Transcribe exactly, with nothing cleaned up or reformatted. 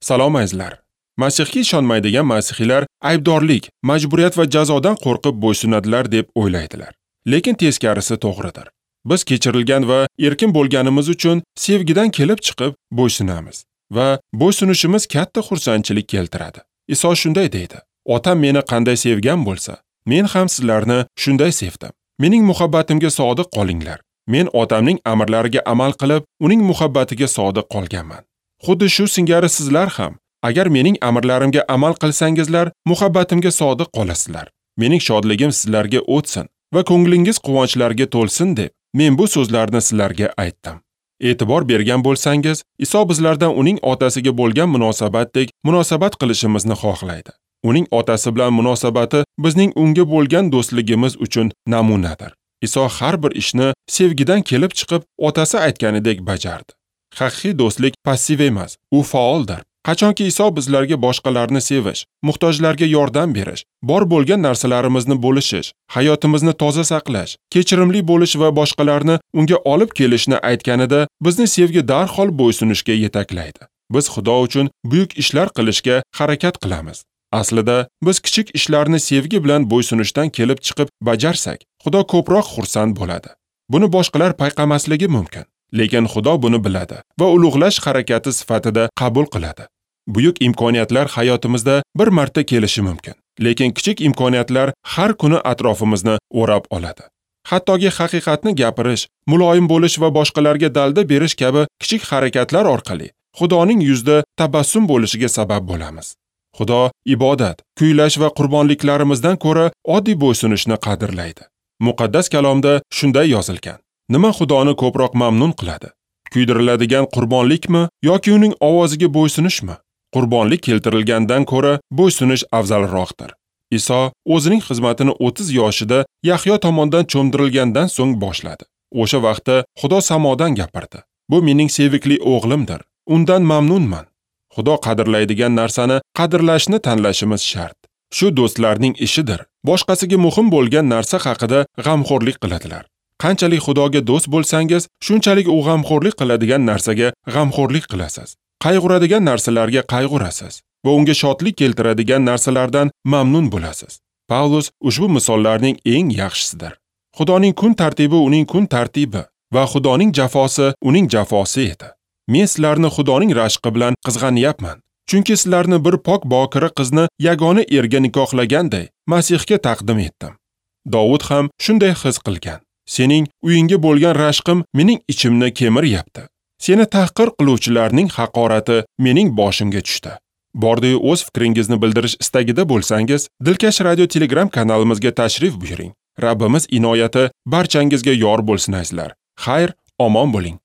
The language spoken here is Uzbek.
Salom azizlar. Masihga ishonmaydigan masihiylar aybdorlik, majburiyat va jazodan qo'rqib bo'ysunadilar deb o'ylaydilar. Lekin teskarisi to'g'ridir. Biz kechirilgan va erkin bo'lganimiz uchun sevgidan kelib chiqib bo'ysunamiz va bo'ysunishimiz katta xursandchilik keltiradi. Iso shunday deydi: Otam meni qanday sevgan bo'lsa, men ham sizlarni shunday sevdim. Mening muhabbatimga sodiq qolinglar. Men otamning amrlariga amal qilib, uning muhabbatiga sodiq qolganman. Xuddi shu singari sizlar ham, agar mening amrlarimga amal qilsangizlar, muhabbatimga sodiq qolasizlar. Mening shodligim sizlarga o'tsin va ko'nglingiz quvonchlarga to'lsin deb men bu so'zlarni sizlarga aytdim. E'tibor bergan bo'lsangiz, Iso bizlardan uning otasiga bo'lgan munosabatdek munosabat qilishimizni xohlaydi. Uning otasi bilan munosabati bizning unga bo'lgan do'stligimiz uchun namunadir. Iso har bir ishni sevgidan kelib chiqib, otasi aytganidek bajardi. Haqiqiy do'stlik passiv emas, u faoldir. Qachonki Iso bizlarga boshqalarni sevish, muhtojlarga yordam berish, bor bo'lgan narsalarimizni bo'lishish, hayotimizni toza saqlash, kechirimli bo'lish va boshqalarni unga olib kelishni aytganida, bizni sevgi darhol bo'ysunishga yetaklaydi. Biz Xudo uchun buyuk ishlar qilishga harakat qilamiz. Aslida biz kichik ishlarni sevgi bilan bo'ysunishdan kelib chiqib bajarsak, Xudo ko'proq xursand bo'ladi. Buni boshqalar payqamasligi mumkin, lekin Xudo buni biladi va ulug'lash harakati sifatida qabul qiladi. Buyuk imkoniyatlar hayotimizda bir marta kelishi mumkin, lekin kichik imkoniyatlar har kuni atrofimizni o'rab oladi. Hattoki haqiqatni gapirish, muloyim bo'lish va boshqalarga dalda berish kabi kichik harakatlar orqali Xudoning yuzida tabassum bo'lishiga sabab bo'lamiz. Xudo ibodat, kuylash va qurbonliklarimizdan ko'ra oddiy bo'ysunishni qadrlaydi. Muqaddas kalomda shunday yozilgan: Nima Xudoni ko'proq mamnun qiladi? Kuydiriladigan qurbonlikmi yoki uning ovoziga bo'ysunishmi? Qurbonlik keltirilgandan ko'ra bo'ysunish afzalroqdir. Iso o'zining xizmatini o'ttiz yoshida Yahyo tomonidan cho'mdirilgandan so'ng boshladi. O'sha vaqtda Xudo samodan gapirdi: Bu mening sevikli o'g'limdir. Undan mamnunman. Xudo qadrlaydigan narsani qadrlashni tanlashimiz shart. Shu do'stlarning ishidir. Boshqasiga muhim bo'lgan narsa haqida g'amxo'rlik qiladilar. Qanchalik Xudoga do'st bo'lsangiz, shunchalik u g'amxo'rlik qiladigan narsaga g'amxo'rlik qilasiz. Qayg'uradigan narsalarga qayg'urasiz va unga shodlik keltiradigan narsalardan mamnun bo'lasiz. Pavlus ushbu misollarning eng yaxshisidir. Xudoning kun tartibi uning kun tartibi va Xudoning jafosi uning jafosi edi. Men sizlarni Xudoning rashqi bilan qizg'anyapman. Chunki sizlarni bir pok bokira qizni yagona erga nikohlaganday Masihga taqdim etdim. Dovud ham shunday his qilgan. Sening uyingga bo'lgan rashqim mening ichimni kemiryapti. Seni tahqir qiluvchilarning haqorati mening boshimga tushdi. Bordi-yu o'z fikringizni bildirish istagida bo'lsangiz, Dilkash Radio Telegram kanalimizga tashrif buyuring. Rabbimiz inoyati barchangizga yor bo'lsin azizlar. Xayr, omon bo'ling.